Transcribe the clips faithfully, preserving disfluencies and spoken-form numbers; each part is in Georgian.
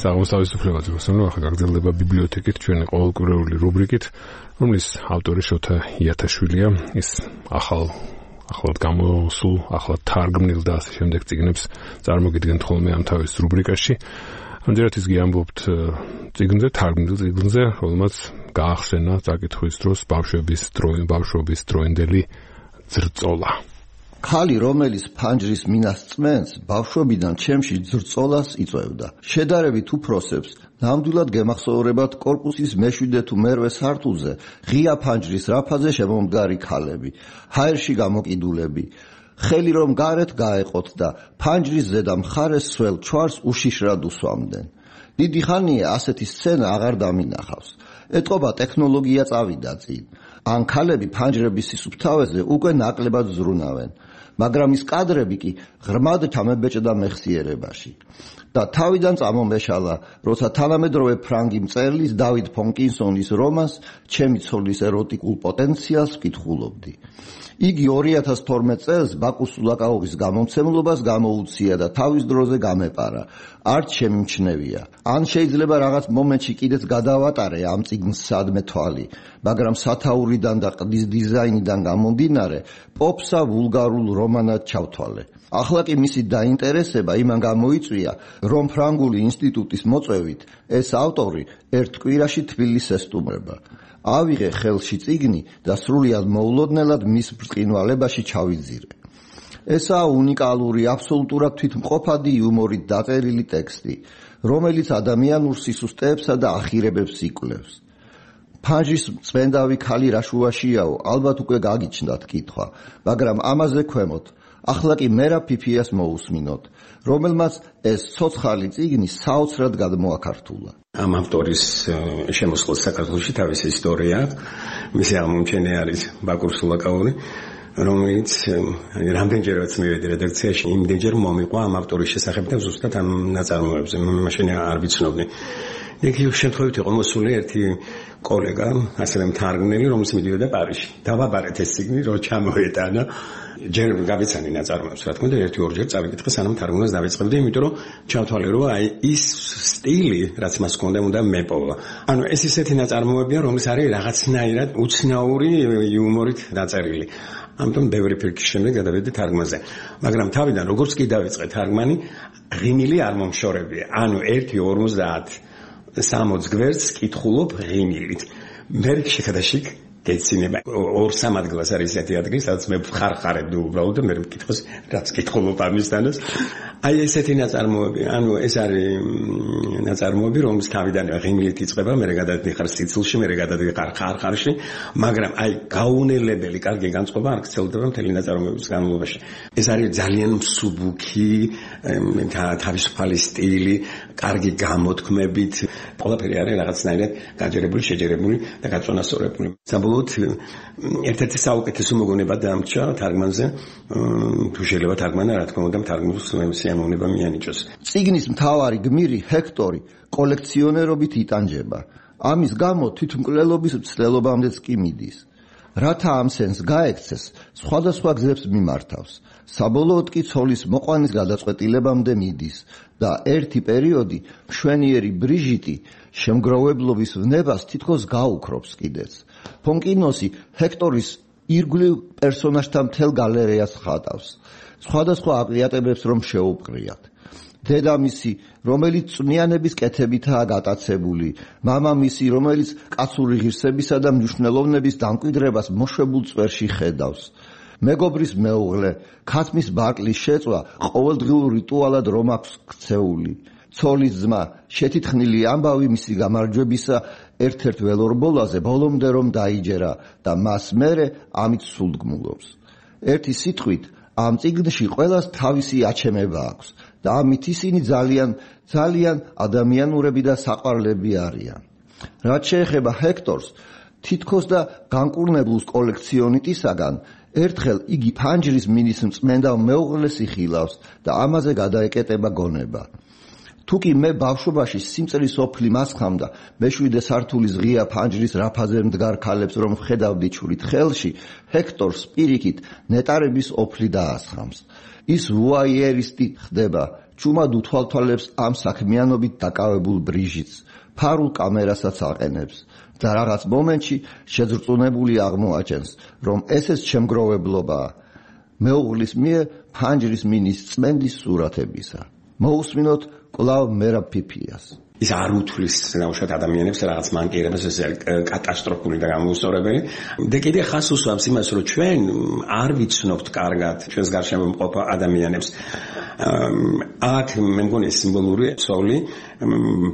საღამოს თავისუფლება ძროსანო ახლა გაგრძელდება ბიბლიოთეკით ჩვენი ყოველკვირეული რუბრიკით, რომლის ავტორი შოთა იათაშვილია. ის ახალ ახლად გამოსულ, ახლად თარგმნილ და ასე შემდეგ წიგნებს წარმოგიდგენთ ხოლმე ამ თავის რუბრიკაში. ამჯერად ის გიამბობთ წიგნზე, თარგმნილ წიგნზე, რომელმაც გაახსენა წაკითხვის დროს ბავშვების დროინდელი, ბავშვობის დროინდელი ძრწოლა. ქალი, რომელიც ფანჯრის მინას წმენს, ბავშვობიდან ჩემში ძრწოლას იწვევდა. შედარებით უფროსებს ნამდვილად გემახსოვრებათ კორპუსის მეშვიდე თუ მერვე სართულზე ღია ფანჯრის რაფაზე შემომდგარი ქალები, ჰაერში გამოკიდულები, ხელი რომ გარეთ გაეყოთ და ფანჯრის ზედა მხარეს სველ ჩვარს უშიშრად უსვამდნენ. დიდი ხანია ასეთი სცენა აღარ დამინახავს. ეტყობა ტექნოლოგია წავიდა წინ. ან ქალები ფანჯრების სისუფთავეზე უკვე ნაკლებად ზრუნავენ, მაგრამ ის კადრები კი ღრმად ჩამებეჭდა მეხსიერებაში. და თავიდან წამომეშალა, როცა თანამედროვე ფრანგი მწერლის დავიდ ფონკინსონის რომანს ჩემი ცოლის ეროტიკულ პოტენციალს ვკითხულობდი. იგი ორი ათას თორმეტ წელს ბაკუს სულაკაოვის გამომცემლობას გამოუცია და თავის დროზე გამეპარა. არც შემიმჩნევია. ან შეიძლება რაღაც მომენტში კიდეც გადავატარე ამ წიგნს სადმე თვალი, მაგრამ სათაურიდან და ყდის დიზაინიდან გამომდინარე, პოპსა ვულგარულ რომანად ჩავთვალე. ახლა კი მისი დაინტერესება იმან გამოიწვია, რომ ფრანგული ინსტიტუტის მოწვევით ეს ავტორი ერთ კვირაში თბილისს ესტუმრება. ავიღე ხელში წიგნი და სრულიად მოულოდნელად მის ბრწყინვალებაში ჩავიძირე. ესაა უნიკალური, აბსოლუტურად თვითმყოფადი იუმორით დაწერილი ტექსტი, რომელიც ადამიანურ სისუსტეებსა და ახირებებს იკვლევს. ფანჯრის წმენდავი ქალი რა შუაშიაო, ალბათ უკვე გაგიჩნდათ კითხვა, მაგრამ ამაზე ქვემოთ. ახლა კი მერა ფიფიას მოусმინოთ, რომელმაც ეს ცოცხალი წიგნი საოცრად გადმოაქართულა. ამ ავტორის შემოსვლას საქართველოში თავისი ისტორია, მისი აღმომჩენელი არის ბაკურ სულაკაოვი, რომელიც რამდენჯერაც მივედი რედაქციაში, იმდენჯერ მომიყვა ამ ავტორის შესახებ და ზუსტად ამ ნაწარმოებზე, მაშინ არ ვიცნობდი. იქ შემთხვევით იყო მოსული ერთი კოლეგა, ასევე მთარგმნელი, რომელიც მიდიოდა პარიზში. დავაბარეთ ეს წიგნი, რომ ჩამოეტანა. ჯერ გავიცანი ნაწარმოებს, რა თქმა უნდა, ერთი-ორჯერ წავიკითხე, სანამ თარგმნას დავიწყებდი, იმიტომ რომ ჩავთვალე, რომ აი ის სტილი, რაც მას ჰქონდა, უნდა მეპოვა. ანუ ეს ისეთი ნაწარმოებია, რომელიც არის რაღაცნაირად უცნაური იუმორით დაწერილი. ამიტომ ბევრი ფიქრის შემდეგ გადავედი თარგმანზე. მაგრამ თავიდან როგორც კი დავიწყე თარგმანი, ღიმილი არ მომშორებია. ანუ ერთი ორმოცდაათ სამოც გვერდს კითხულობ ღიმილით. მე შეკადაშიკ გეცინება ორ სამ ადგილას არის ესეთი ადგილი, სადაც მე ხარხარებდი უბრალოდ და მე მკითხოს რაც კითხულობ ამისთანაც. აი ესეთი ნაწარმოები, ანუ ეს არის ნაწარმოები, რომლის თავიდან ღიმილით იწყება, მე გადადიხარ სიცილში, მე გადადიხარ ხარხარში, მაგრამ აი გაუნელებელი კარგი განწყობა არ გრძელდება მთელი ნაწარმოების განმავლობაში. ეს არის ძალიან მსუბუქი, თავისუფალი სტილი, კარგი გამოთქმებით, ყველაფერი არის რაღაცნაირად გაჯერებული, შეჯერებული და გაწონასწორებული. საბოლოოდ ერთ-ერთი საუკეთესო მოგონება დამრჩა თარგმანზე, თუ შეიძლება თარგმანა, რა თქმა უნდა, თარგმნილს სიამოვნება მიანიჭოს. წიგნის მთავარი გმირი ჰექტორი კოლექციონერობით იტანჯება. ამის გამო თვითმკვლელობის მცდელობამდეც კი მიდის. რათა ამ სენს გაექცეს, სხვადასხვა გზებს მიმართავს. საბოლოოდ კი ცოლის მოყვანის გადაწყვეტილებამდე მიდის და ერთი პერიოდი მშვენიერი ბრიჟიტი შემგროვებლობის ვნებას თითქოს გაუქრობს კიდეც. ფონკინოსი ჰექტორის ირგვლივ პერსონაჟთა მთელ გალერეას ხატავს. სხვადასხვა აკლიატებებს რომ შეუპყრიათ. დედამისი, რომელიც წვნიანების კეთებითაა გატაცებული, მამამისი, რომელიც კაცური ღირსებისა და მნიშვნელოვნების დამკვიდრებას მოშვებულ წვერში ხედავს. მეგობრის მეუღლე, ქათმის ბარტლის შეწვა ყოველდღიურ რიტუალად რომ აქვს ქცეული. ცოლის ძმა, შეთითხნილი ამბავი მისი გამარჯვებისა ერთ-ერთ ველორბოლაზე ბოლომდე რომ დაიჯერა და მას მერე ამით სულდგმულობს. ერთი სიტყვით, ამ წიგნში ყველას თავისი აჩემება აქვს და ამით ისინი ძალიან, ძალიან ადამიანურები და საყვარლები არიან. რაც შეეხება ჰექტორს, თითქოს და განკურნებულს კოლექციონიტისაგან, ერთხელ იგი ფანჯრის მინის მწმენდავ მეუღლეს იხილავს და ამაზე გადაეკეტება გონება. თუკი მე ბავშვობაში სიმწრის ოფლი მასხამდა, მეშვიდე სართულის ღია ფანჯრის რაფაზე მდგარ ქალებს რომ ხედავდი ჩურით ხელში, ჰექტორს პირიქით ნეტარების ოფლი დაასხამს. ის ვუაიერისტი ხდება, ჭუმად უთვალთვალებს ამ საქმიანობით დაკავებულ ბრიჟიც, ფარულ კამერასაც აყენებს და რაღაც მომენტში შეძრწუნებული აღმოაჩენს, რომ ესეც შემგროვებლობაა. მეუღლის მიერ ფანჯრის მინის წმენდის სურათებისა. მოусმინოთ კვლავ მერაბ ფიფიას. ის არ უთვლის ნაუშად ადამიანებს რაღაც მანკიერებას, ეს კატასტროფული და გამოუსწორებელი. და კიდე ხას უსვამს იმას, რომ ჩვენ არ ვიცნობთ კარგად ჩვენს გარშემო მყოფ ადამიანებს. აქ მე მგონი სიმბოლური ცოლი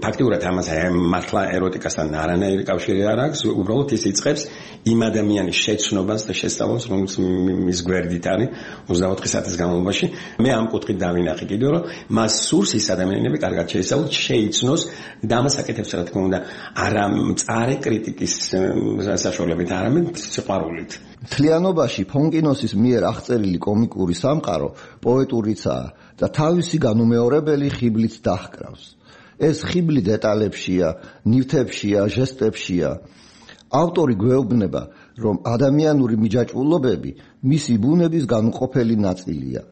ფაქტიურად ამას მართლა ეროტიკასთან არანაირი კავშირი არ აქვს, უბრალოდ ის იწყებს იმ ადამიანის შეცნობას და შესწავლას, რომელიც მის გვერდით არის ოცდაოთხი საათის განმავლობაში. მე ამ კუთხით დავინახე კიდევ, რომ მას სურს ის ადამიანები კარგად შეისწავლოს, შეიცნოს და ამას აკეთებს, რა თქმა უნდა, არა მწარე კრიტიკის საშუალებით, არამედ სიყვარულით. მთლიანობაში ფონკინოსის მიერ აღწერილი კომიკური სამყარო პოეტურიცაა და თავისი განუმეორებელი ხიბლით დაჰკრავს. ეს ხიბლი დეტალებშია, ნივთებშია, ჟესტებშია. ავტორი გვეუბნება, რომ ადამიანური მიჯაჭვულობები მისი ბუნების განუყოფელი ნაწილია,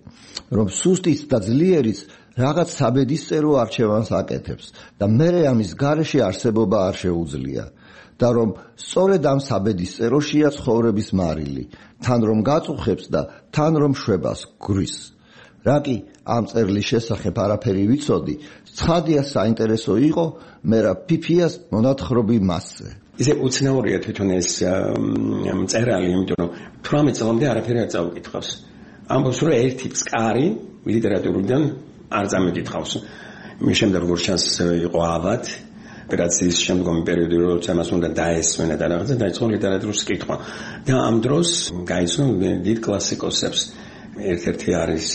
რომ სუსტიც და ძლიერიც რაღაც საბედისწერო არჩევანს აკეთებს და მერე ამის გარეშე არსებობა არ შეუძლია და რომ სწორედ ამ საბედისწეროშია ცხოვრების მარილი, თან რომ გაწუხებს და თან რომ შვებას გვრის. რა კი ამ წერლის შესახებ არაფერი ვიცოდი, ცხადია საინტერესო იყო მერაბ ფიფიას მონათხრობი მასზე. ისე უცნაურია თვითონ ეს წერალი, იმიტომ რომ თვრამეტ წლამდე არაფერი არ წაუკითხავს. ამბობს, რომ ერთი ფსკარი ლიტერატურიდან არ წამიკითხავს. მის შემდეგ როგორ ჩანს იყო ავად ოპერაციის შემდგომი პერიოდი, როცა მას უნდა დაესვენა და რაღაცა დაიწყო ლიტერატურის კითხვა. და ამ დროს გაიცნო დიდ კლასიკოსებს. ერთ-ერთი არის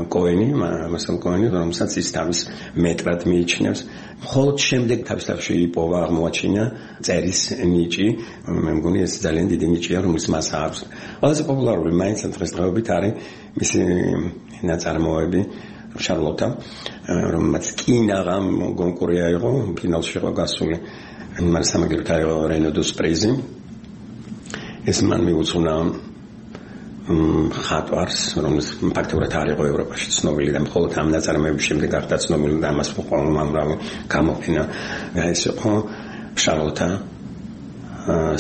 კოენი, მასალ კოენი, რომელსაც ის თავის მეტრად მიიჩნევს. მხოლოდ შემდეგ თავისთავში იპოვა, აღმოაჩინა წერის ნიჭი. მე მგონი ეს ძალიან დიდი ნიჭია, რომელიც მას აქვს. ყველაზე პოპულარული მაინც დღესდღეობით არის მისი ნაწარმოები შარლოტა, რომელმაც კინაღა კონკური აიღო, ფინალში იყო გასული. მას სამაგიეროდ აიღო რენოდოს პრიზი. ეს მან მიუძღვნა ხატვარს, რომელიც ფაქტობრივად არ იყო ევროპაში ცნობილი და მხოლოდ ამ ნაწარმოების შემდეგ გახდა ცნობილი და მას უამრავი გამოფენა. ეს იყო შარლოტა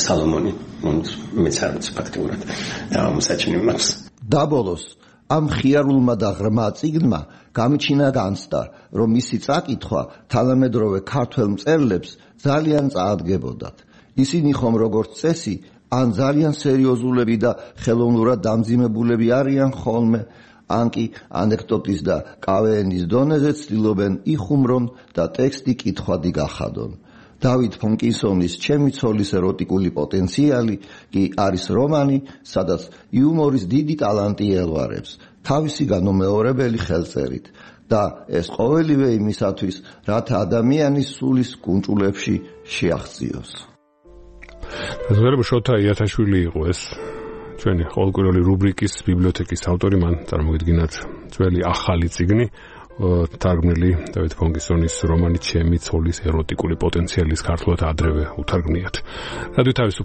სალომონი, რომელიც არის ფაქტობრივად და მოსაჩინე მას. დაბოლოს ამ ხიარულმა და ღრმა წიგნმა გამიჩინა განცდა, რომ მისი წაკითხვა თანამედროვე ქართველ მწერლებს ძალიან წაადგებოდათ. ისინი ხომ როგორც წესი ან ძალიან სერიოზულები და ხელოვნურად დამძიმებულები არიან ხოლმე, ან კი ანეკდოტის და კავეენის დონეზე ცდილობენ იხუმრონ და ტექსტი კითხვადი გახადონ. დავით ფონკინსონის ჩემი ცოლის ეროტიკული პოტენციალი კი არის რომანი, სადაც იუმორის დიდი ტალანტი ელვარებს თავისი განუმეორებელი ხელწერით და ეს ყოველივე იმისათვის, რათა ადამიანის სულის კუნჭულებში შეაღწიოს. ზოგადად შოთა იათაშვილი იყო ეს ჩვენი ყოველკვირეული რუბრიკის ბიბლიოთეკის ავტორი, მან წარმოგიდგინათ ძველი ახალი წიგნი, თარგმნილი დავით ფონკინსონის რომანი ჩემი ცოლის ეროტიკული პოტენციალის ქართულად ადრევე უთარგმნიათ. რადიო თავის